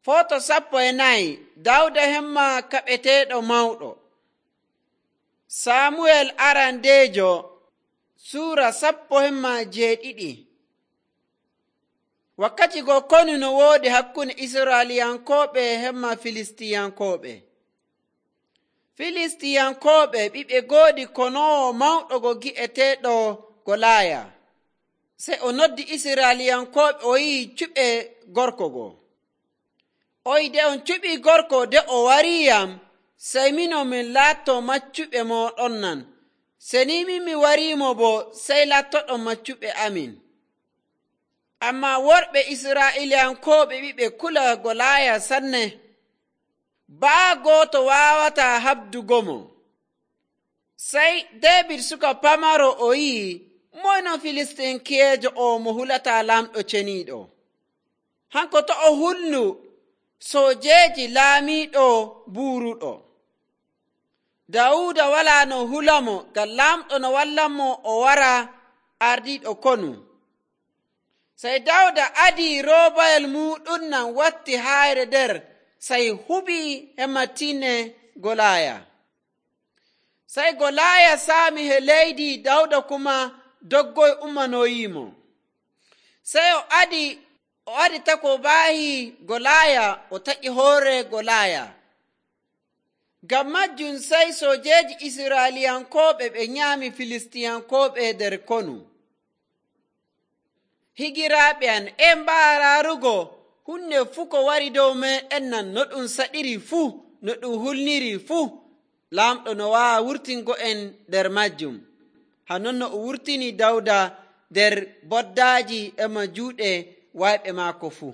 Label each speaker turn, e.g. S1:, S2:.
S1: Foto 14 Dawda hemma kaɓeteeɗo mawɗo. Samuel arandeejo Suura 17. Wakkati go konu no woodi hakkunde Israeliyankooɓe hemma Filistiyankooɓe. Filistiyankooɓe ɓiɓe goodi konoowo mawɗo go gi'eteeɗo Golaaya. Sey o noddi Israeliyankooɓe o yi'i cuɓe gorko go. O yi'i, de on cuɓii gorko de o wariiyam, sey minon min laatto maccuɓe mooɗon nan. Seni min mi wariimo bo, sey lattoɗon maccuɓe amin. Ammaa worɓe Israa'iliyankooɓe ɓiɓe kula Golaaya sanne. Baa gooto waawataa habdugomo. Sey Deebit suka pamaro o yi'i, moyno Filistinkiyeejo o mo hulataa lamɗo ceniiɗo. Hanko to o hulnu soojeeji laamiiɗo buuruɗo. Dawuda walaa no hulamo ngam lamɗo no wallanmo o wara ardiiɗo konu. Sey Dawda adii roobayel muɗum nan watti hayre nder, sey huɓii hemma tinne Golaaya. Sey Golaaya saami he leydi, Dawda kuma doggoy ummanoyiimo. Sey o adi takobaahi Golaaya, o taƴi hoore Golaaya. Ngam majjum sey soojeeji Israa'iliyankooɓe ɓe nyaami Filistiyankooɓe nder konu. Higiraaɓe am, mbaaraarugo hunde fuu ko wari dow meeɗen nan, no ɗum saɗiri fuu, no ɗum hulniri fuu, lamɗo no waawa wurtingo en nder majjum. Hanon no o wurtini Dawda nder boddaaji e mo juuɗe wayɓe maako fuu.